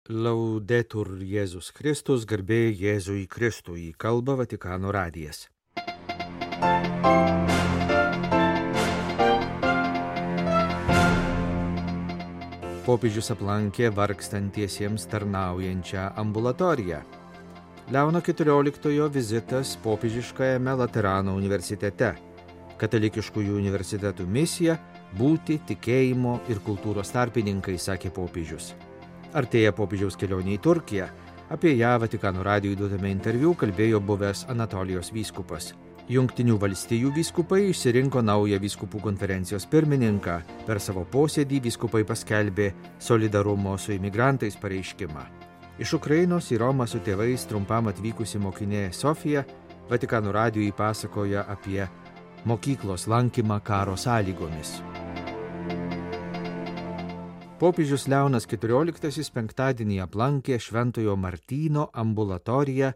Laudetur Jėzus Kristus, garbė Jėzui Kristui, kalba Vatikano radijas. Popiežius aplankė vargstantiesiems tarnaujančią ambulatoriją. Leono XIV vizitas popiežiškajame Laterano universitete. Katalikiškųjų universitetų misija – būti tikėjimo ir kultūros tarpininkai, sakė popiežius. Artėja popiežiaus kelionė į Turkiją. Apie ją Vatikano radijui duotame interviu kalbėjo buvęs Anatolijos vyskupas. Jungtinių valstijų vyskupai išsirinko naują vyskupų konferencijos pirmininką. Per savo posėdį vyskupai paskelbė solidarumo su imigrantais pareiškimą. Iš Ukrainos į Romą su tėvais trumpam atvykusi mokinė Sofija Vatikano radijui pasakoja apie mokyklos lankymą karo sąlygomis. Popiežius Leonas XIV penktadienį aplankė Šventojo Martyno ambulatoriją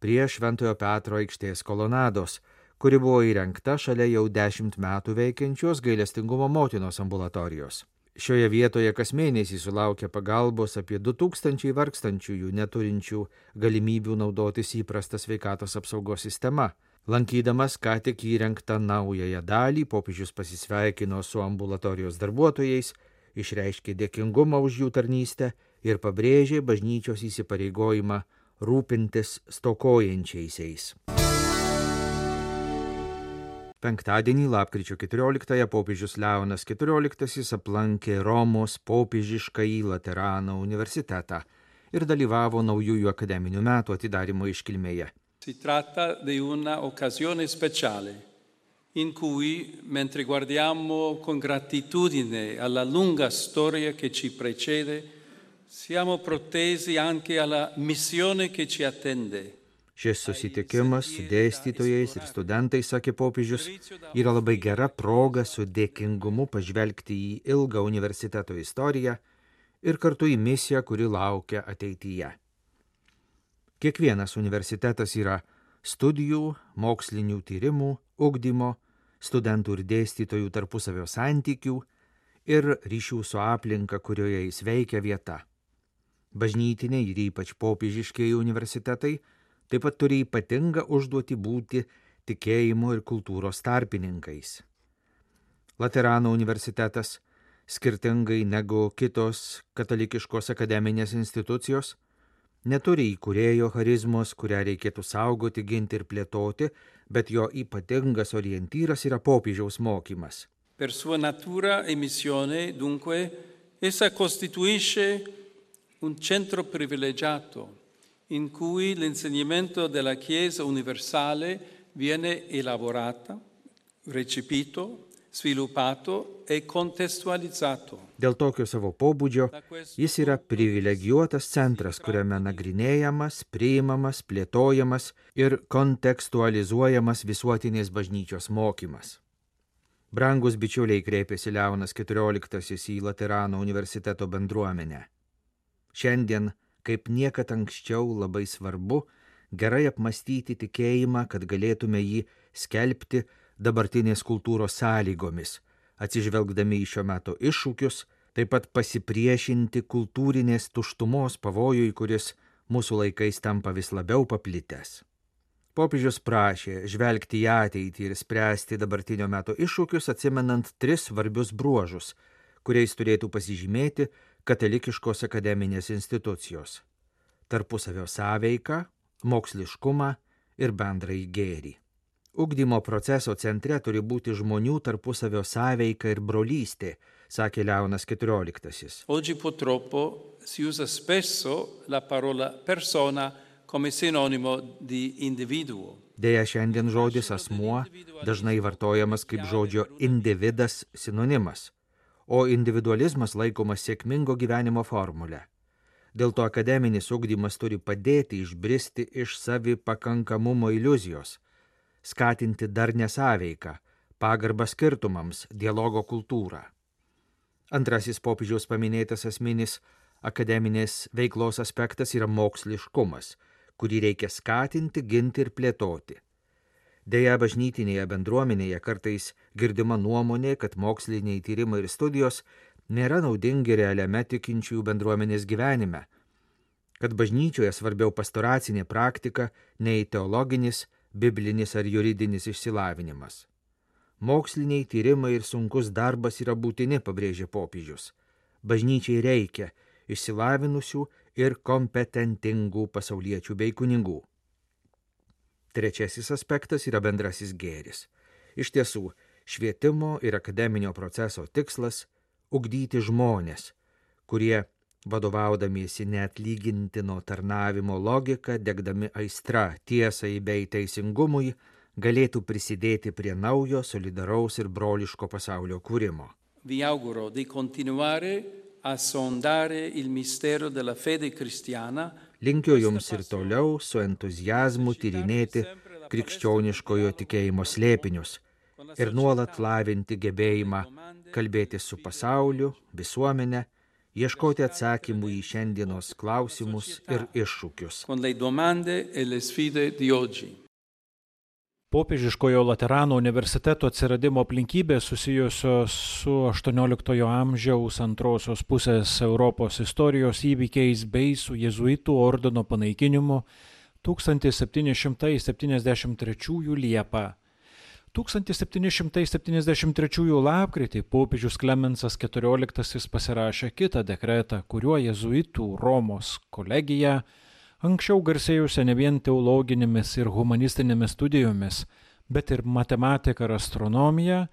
prie Šventojo Petro aikštės kolonados, kuri buvo įrengta šalia jau 10 metų veikiančios Gailestingumo motinos ambulatorijos. Šioje vietoje kas mėnesį sulaukia pagalbos apie 2000 vargstančiųjų neturinčių galimybių naudotis įprasta sveikatos apsaugos sistema. Lankydamas ką tik įrengtą naująją dalį, popiežius pasisveikino su ambulatorijos darbuotojais, išreiškė dėkingumą už jų tarnystę ir pabrėžė bažnyčios įsipareigojimą rūpintis stokojančiaisiais. Penktadienį, lapkričio 14-ąją, popiežius Leonas XIV aplankė Romos popiežiškąjį Laterano universitetą ir dalyvavo naujųjų akademinių metų atidarymo iškilmėje. Si tratta di una occasione speciale in cui, mentre guardiamo con gratitudine alla lunga storia che ci precede, siamo protesi anche alla missione che ci attende. Šis susitikimas su dėstytojais ir studentais, sakė popiežius, yra labai gera proga su dėkingumu pažvelgti į ilgą universiteto istoriją ir kartu į misiją, kuri laukia ateityje. Kiekvienas universitetas yra studijų, mokslinių tyrimų, ugdymo, studentų ir dėstytojų tarpusavio santykių ir ryšių su aplinka, kurioje jis veikia vieta. Bažnytiniai ir ypač popiežiškieji universitetai taip pat turi ypatingą užduotį būti tikėjimo ir kultūros tarpininkais. Laterano universitetas, skirtingai negu kitos katalikiškos akademinės institucijos, neturi įkūrėjo charizmos, kurią reikėtų saugoti, ginti ir plėtoti, bet jo ypatingas orientyras yra popiežiaus mokymas. Per sua natura e missione, dunque, essa costituisce un centro privilegiato in cui l'insegnamento della Chiesa universale viene elaborato, recepito, sviluppato e contestualizzato. Dėl tokio savo pobūdžio jis yra privilegijuotas centras, kuriame nagrinėjamas, priimamas, plėtojamas ir kontekstualizuojamas visuotinės bažnyčios mokymas. Brangus bičiuliai, kreipėsi Leonas XIV į Laterano universiteto bendruomenę. Šiandien, kaip niekad anksčiau, labai svarbu gerai apmastyti tikėjimą, kad galėtume jį skelbti dabartinės kultūros sąlygomis, atsižvelgdami į šio meto iššūkius, taip pat pasipriešinti kultūrinės tuštumos pavojui, kuris mūsų laikais tampa vis labiau paplitęs. Popiežius prašė žvelgti į ateitį ir spręsti dabartinio meto iššūkius, atsimenant 3 svarbius bruožus, kuriais turėtų pasižymėti katalikiškos akademinės institucijos – tarpusavio sąveiką, moksliškumą ir bendrąjį gėrį. Ugdymo proceso centre turi būti žmonių tarpusavio sąveika ir brolystė, sakė Leonas XIV. Oggi purtroppo si usa spesso la parola persona come sinonimo di individuo. Deja, šiandien žodis asmuo dažnai vartojamas kaip žodžio individas sinonimas, o individualizmas laikomas sėkmingo gyvenimo formule. Dėl to akademinis ugdymas turi padėti išbristi iš savipakankamumo iliuzijos, skatinti darnią sąveiką, pagarbą skirtumams, dialogo kultūrą. Antrasis popiežiaus paminėtas esminis akademinės veiklos aspektas yra moksliškumas, kurį reikia skatinti, ginti ir plėtoti. Deja, bažnytinėje bendruomenėje kartais girdima nuomonė, kad moksliniai tyrimai ir studijos nėra naudingi realiame tikinčiųjų bendruomenės gyvenime, kad bažnyčioje svarbiau pastoracinė praktika nei teologinis, biblinis ar juridinis išsilavinimas. Moksliniai tyrimai ir sunkus darbas yra būtini, pabrėžė popiežius. Bažnyčiai reikia išsilavinusių ir kompetentingų pasauliečių bei kunigų. Trečiasis aspektas yra bendrasis gėris. Iš tiesų, švietimo ir akademinio proceso tikslas – ugdyti žmonės, kurie, vadovaudamiesi neatlygintino tarnavimo logika, degdami aistra tiesai bei teisingumui, galėtų prisidėti prie naujo, solidaraus ir broliško pasaulio kūrimo. Vi auguro di continuare a sondare il mistero della fede cristiana. Linkiu jums ir toliau su entuziazmu tyrinėti krikščioniškojo tikėjimo slėpinius ir nuolat lavinti gebėjimą kalbėti su pasauliu, visuomene, ieškoti atsakymų į šiandienos klausimus ir iššūkius. Con le domande e le sfide di oggi. Popiežiškojo Laterano universiteto atsiradimo aplinkybės susijusios su XVIII amžiaus antrosios pusės Europos istorijos įvykiais bei su jėzuitų ordino panaikinimu 1773 Liepą. 1773 lapkritį popiežius Klemensas XIV pasirašė kitą dekretą, kuriuo jėzuitų Romos kolegija, anksčiau garsėjusią ne vien teologinėmis ir humanistinėmis studijomis, bet ir matematiką ir astronomiją,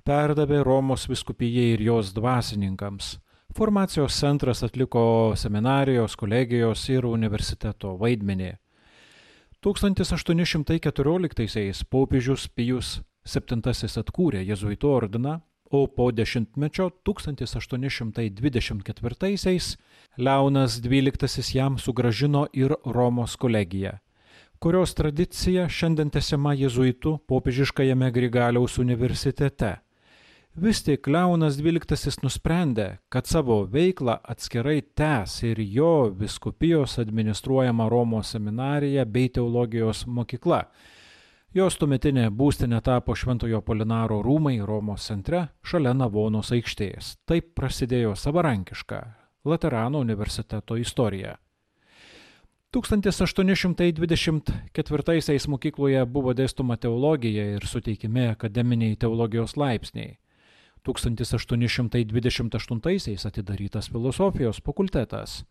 perdavė Romos vyskupijai ir jos dvasininkams. Formacijos centras atliko seminarijos, kolegijos ir universiteto vaidmenį. 1814 popiežius Pijus VII atkūrė jėzuitų ordiną, o po dešimtmečio 1824 Leonas XII jam sugrąžino ir Romos kolegiją, kurios tradicija šiandien tęsiama jėzuitų popiežiškajame Grigaliaus universitete. Vis tik Leonas XII nusprendė, kad savo veiklą atskirai tęs ir jo vyskupijos administruojama Romos seminarija bei teologijos mokykla. Jos tuometinė būstinė tapo Šventojo Polinaro rūmai Romos centre šalia Navonos aikštės. Taip prasidėjo savarankiška Laterano universiteto istorija. 1824 mokykloje buvo dėstoma teologija ir suteikimi akademiniai teologijos laipsniai. 1828 atidarytas filosofijos fakultetas.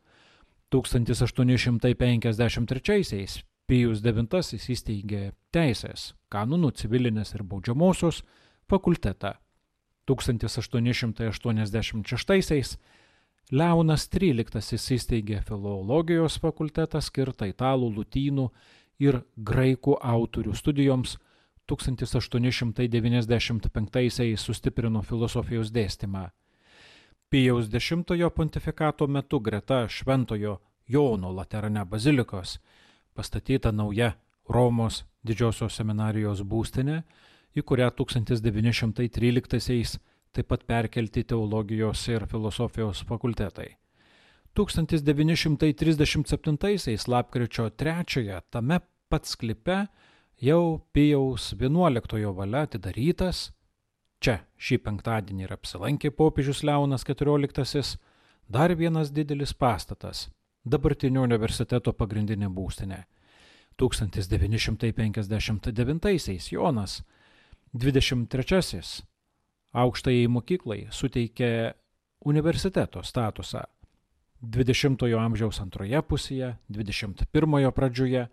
1853 Pijus IX įsteigė teisės, kanonų, civilinės ir baudžiamosios fakultetą. 1886 Leonas XIII įsteigė filologijos fakultetą skirtą italų, lotynų ir graikų autorių studijoms. 1895 sustiprino filosofijos dėstymą. Pijaus X pontifikato metu greta Šventojo Jono Laterane bazilikos pastatyta nauja Romos didžiosios seminarijos būstinė, į kurią 1913 taip pat perkelti teologijos ir filosofijos fakultetai. 1937 lapkričio 3 tame pat sklype jau Pijaus XI valia atidarytas, čia šį penktadienį ir apsilankė popiežius Leonas XIV, dar vienas didelis pastatas, dabartinio universiteto pagrindinė būstinė. 1959 Jonas XXIII aukštajai mokyklai suteikė universiteto statusą. 20-ojo amžiaus antroje pusėje, 21-ojo pradžioje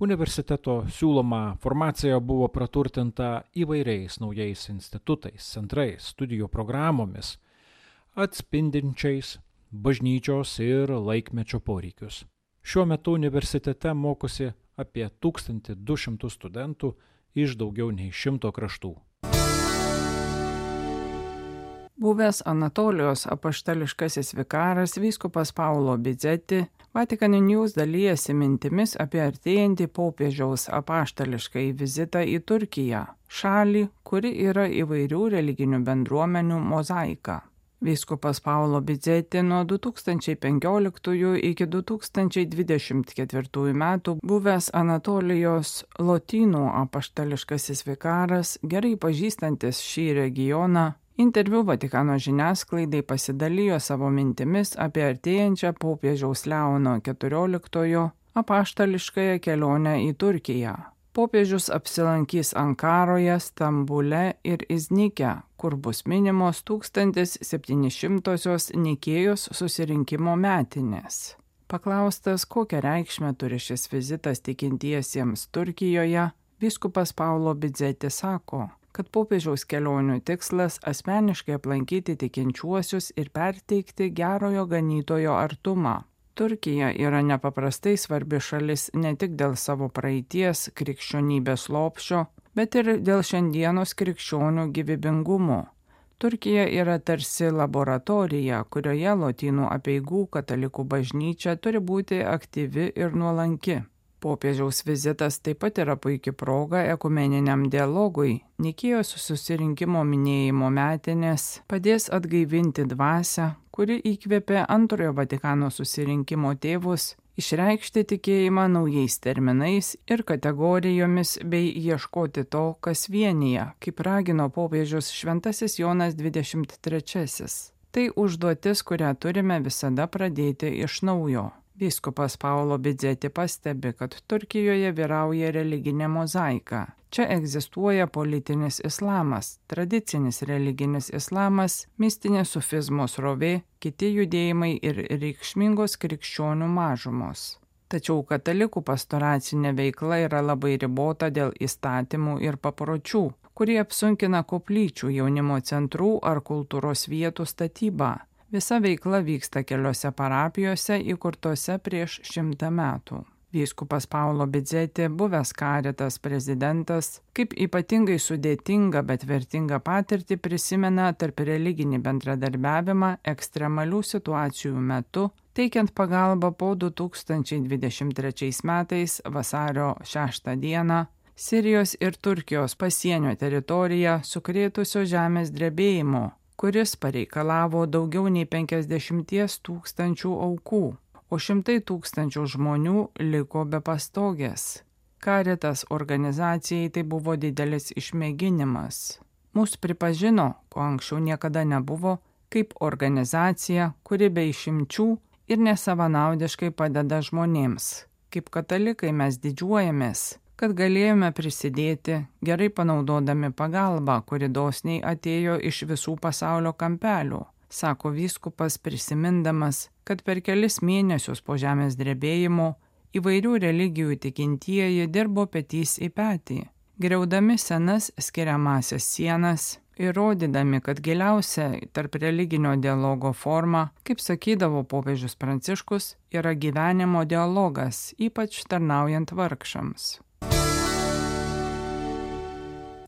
universiteto siūloma formacija buvo praturtinta įvairiais naujais institutais, centrais, studijų programomis, atspindinčiais bažnyčios ir laikmečio poreikius. Šiuo metu universitete mokosi apie 1200 studentų iš daugiau nei 100 kraštų. Buvęs Anatolijos apaštališkasis vikaras vyskupas Paulo Bizeti Vatican News dalijasi mintimis apie artėjantį popiežiaus apaštališkąjį vizitą į Turkiją, šalį, kuri yra įvairių religinių bendruomenių mozaika. Vyskupas Paulo Bizeti nuo 2015 iki 2024 metų buvęs Anatolijos lotynų apaštališkasis vikaras, gerai pažįstantis šį regioną, Interviu Vatikano žiniasklaidai pasidalijo savo mintimis apie artėjančią popiežiaus Leono XIV apaštališkąją kelionę į Turkiją. Popiežius apsilankys Ankaroje, Stambule ir Iznike, kur bus minimos 1700-osios Nikėjos susirinkimo metinės. Paklaustas, kokią reikšmę turi šis vizitas tikintiesiems Turkijoje, vyskupas Paulo Bidzeti sako, kad popiežiaus kelionių tikslas asmeniškai aplankyti tikinčiuosius ir perteikti gerojo ganytojo artumą. Turkija yra nepaprastai svarbi šalis ne tik dėl savo praeities krikščionybės lopšio, bet ir dėl šiandienos krikščionių gyvybingumo. Turkija yra tarsi laboratorija, kurioje lotynų apeigų katalikų bažnyčia turi būti aktyvi ir nuolanki. Popiežiaus vizitas taip pat yra puikia proga ekumeniniam dialogui. Nikėjos susirinkimo minėjimo metinės padės atgaivinti dvasią, kuri įkvėpė Antrojo Vatikano susirinkimo tėvus išreikšti tikėjimą naujais terminais ir kategorijomis bei ieškoti to, kas vienija, kaip ragino popiežius Šventasis Jonas XXIII. Tai užduotis, kurią turime visada pradėti iš naujo. Vyskupas Paulo Bidzeti pastebi, kad Turkijoje vyrauja religinė mozaika. Čia egzistuoja politinis islamas, tradicinis religinis islamas, mistinė sufizmo srovė, kiti judėjimai ir reikšmingos krikščionių mažumos. Tačiau katalikų pastoracinė veikla yra labai ribota dėl įstatymų ir papročių, kurie apsunkina koplyčių, jaunimo centrų ar kultūros vietų statybą. Visa veikla vyksta keliose parapijose įkurtose prieš 100 metų. Vyskupas Paulo Bidzeti, buvęs Caritas prezidentas, kaip ypatingai sudėtingą, bet vertingą patirtį prisimena tarp religinį bendradarbiavimą ekstremalių situacijų metu, teikiant pagalbą po 2023 metais vasario 6 dieną Sirijos ir Turkijos pasienio teritoriją sukrėtusio žemės drebėjimo, kuris pareikalavo daugiau nei 50 000 aukų, o 100 000 žmonių liko be pastogės. Caritas organizacijai tai buvo didelis išmėginimas. Mus pripažino, ko anksčiau niekada nebuvo, kaip organizacija, kuri be išimčių ir nesavanaudiškai padeda žmonėms. Kaip katalikai mes didžiuojamės, kad galėjome prisidėti, gerai panaudodami pagalbą, kuri dosniai atėjo iš visų pasaulio kampelių, sako vyskupas prisimindamas, kad per kelis mėnesius po žemės drebėjimo įvairių religijų tikintieji dirbo petys į petį, griaudami senas skiriamąsias sienas ir rodydami, kad giliausia tarp religinio dialogo forma, kaip sakydavo popiežius Pranciškus, yra gyvenimo dialogas, ypač tarnaujant vargšams.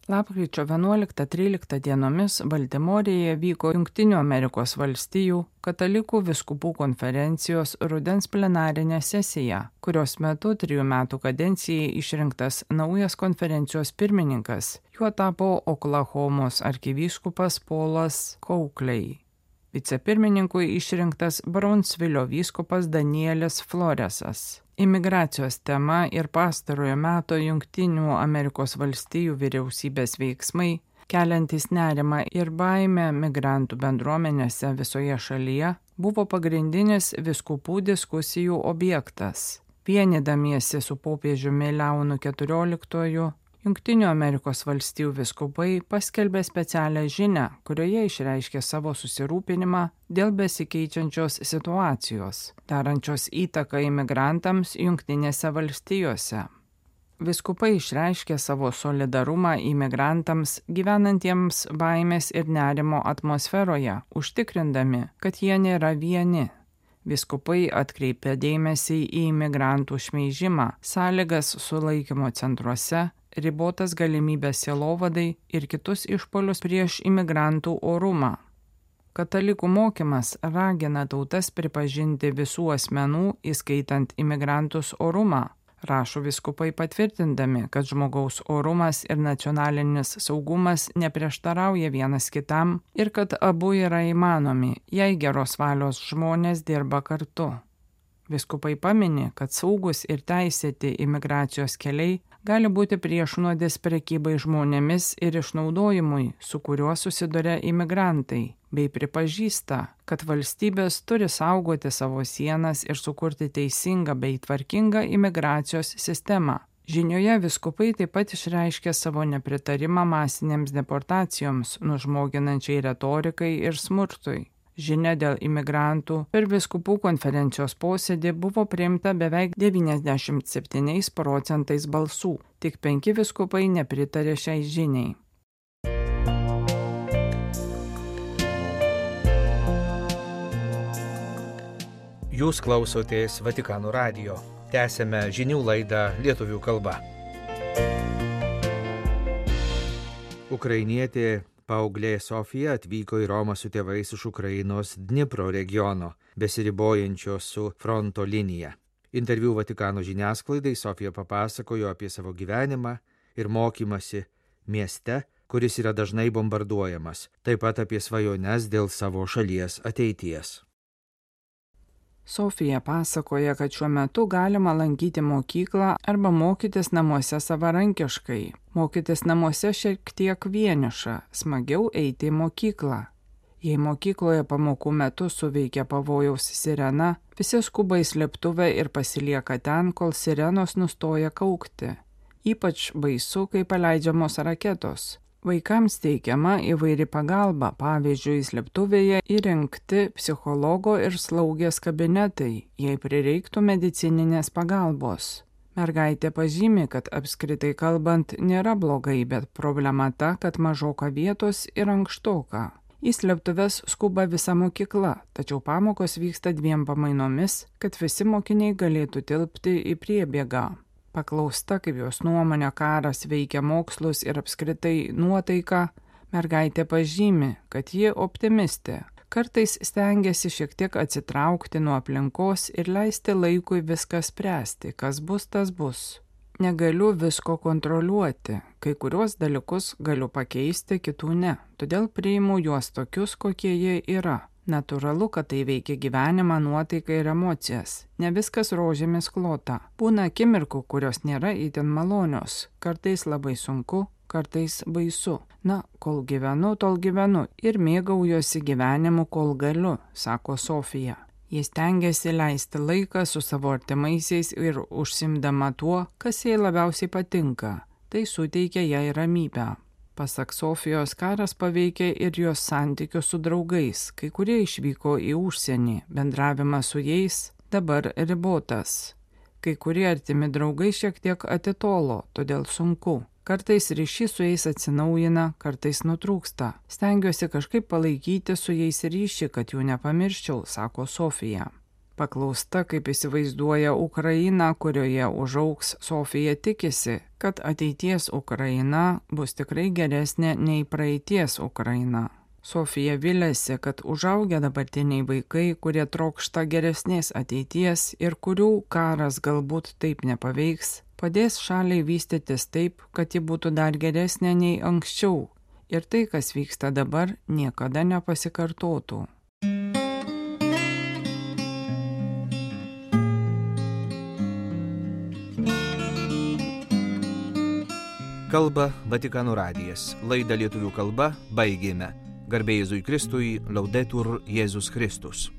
Lapkričio 11-13 dienomis Baltimorėje vyko Jungtinių Amerikos valstijų katalikų vyskupų konferencijos rudens plenarinė sesija, kurios metu 3 metų kadencijai išrinktas naujas konferencijos pirmininkas. Juo tapo Oklahomos arkivyskupas Paulas Coakley. Vicepirmininkui išrinktas Brownsvilio vyskupas Danielis Floresas. Imigracijos tema ir pastarojo meto Jungtinių Amerikos valstijų vyriausybės veiksmai, keliantis nerimą ir baimę migrantų bendruomenėse visoje šalyje, buvo pagrindinis vyskupų diskusijų objektas. Vienydamiesi su popiežiumi Leonu XIV, Jungtinių Amerikos valstijų vyskupai paskelbė specialią žinią, kurioje išreiškė savo susirūpinimą dėl besikeičiančios situacijos, darančios įtaką imigrantams Jungtinėse valstijose. Vyskupai išreiškė savo solidarumą imigrantams gyvenantiems baimės ir nerimo atmosferoje, užtikrindami, kad jie nėra vieni. Vyskupai atkreipė dėmesį į imigrantų šmeižimą, sąlygas sulaikymo centruose, ribotas galimybės sielovadai ir kitus išpuolius prieš imigrantų orumą. Katalikų mokymas ragina tautas pripažinti visų asmenų, įskaitant imigrantus, orumą, rašo vyskupai patvirtindami, kad žmogaus orumas ir nacionalinis saugumas neprieštarauja vienas kitam ir kad abu yra įmanomi, jei geros valios žmonės dirba kartu. Viskupai pamini, kad saugus ir teisėti imigracijos keliai gali būti priešnuodis prekybai žmonėmis ir išnaudojimui, su kuriuo susiduria imigrantai, bei pripažįsta, kad valstybės turi saugoti savo sienas ir sukurti teisingą bei tvarkingą imigracijos sistemą. Žinioje viskupai taip pat išreiškė savo nepritarimą masinėms deportacijoms, nužmoginančiai retorikai ir smurtui. Žinia dėl imigrantų per vyskupų konferencijos posėdį buvo priimta beveik 97% balsų, tik 5 vyskupai nepritarė šiai žiniai. Jūs klausotės Vatikano radijo. Tęsėme žinių laidą lietuvių kalba. Ukrainietė paauglė Sofija atvyko į Romą su tėvais iš Ukrainos Dnipro regiono, besiribojančios su fronto linija. Interviu Vatikano žiniasklaidai Sofija papasakojo apie savo gyvenimą ir mokymasi mieste, kuris yra dažnai bombarduojamas, taip pat apie svajones dėl savo šalies ateities. Sofija pasakoja, kad šiuo metu galima lankyti mokyklą arba mokytis namuose savarankiškai. Mokytis namuose šiek tiek vieniša, smagiau eiti į mokyklą. Jei mokykloje pamokų metu suveikia pavojaus sirena, visi skuba į slėptuvę ir pasilieka ten, kol sirenos nustoja kaukti. Ypač baisu, kai paleidžiamos raketos. Vaikams teikiama įvairi pagalba, pavyzdžiui, slėptuvėje įrengti psichologo ir slaugės kabinetai, jei prireiktų medicininės pagalbos. Mergaitė pažymi, kad apskritai kalbant nėra blogai, bet problema ta, kad mažoka vietos ir ankštoka. Į slėptuves skuba visa mokykla, tačiau pamokos vyksta 2 pamainomis, kad visi mokiniai galėtų tilpti į priebėgą. Paklausta, kaip jos nuomonė karas veikia mokslus ir apskritai nuotaiką, mergaitė pažymi, kad ji optimistė. Kartais stengiasi šiek tiek atsitraukti nuo aplinkos ir leisti laikui viską spręsti, kas bus, tas bus. Negaliu visko kontroliuoti, kai kuriuos dalykus galiu pakeisti, kitų ne, todėl priimu juos tokius, kokie jie yra. Natūralu, kad tai veikia gyvenimą, nuotaiką ir emocijas. Ne viskas rožėmis klota. Būna akimirkų, kurios nėra itin malonios. Kartais labai sunku, kartais baisu. Na, kol gyvenu, tol gyvenu ir mėgaujuosi gyvenimu, kol galiu, sako Sofija. Jis stengiasi leisti laiką su savo artimaisiais ir užsimdama tuo, kas jai labiausiai patinka. Tai suteikia jai ramybę. Pasak Sofijos, karas paveikė ir jos santykius su draugais, kai kurie išvyko į užsienį, bendravimas su jais dabar ribotas. Kai kurie artimi draugai šiek tiek atitolo, todėl sunku. Kartais ryšys su jais atsinaujina, kartais nutrūksta. Stengiuosi kažkaip palaikyti su jais ryšį, kad jų nepamirščiau, sako Sofija. Paklausta, kaip įsivaizduoja Ukrainą, kurioje užaugs, Sofija tikisi, kad ateities Ukraina bus tikrai geresnė nei praeities Ukraina. Sofija viliasi, kad užaugę dabartiniai vaikai, kurie trokšta geresnės ateities ir kurių karas galbūt taip nepaveiks, padės šaliai vystytis taip, kad ji būtų dar geresnė nei anksčiau ir tai, kas vyksta dabar, niekada nepasikartotų. Kalba Vatikano radijas. Laidą lietuvių kalba baigėme. Garbė Jėzui Kristui, Laudetur Jėzus Kristus.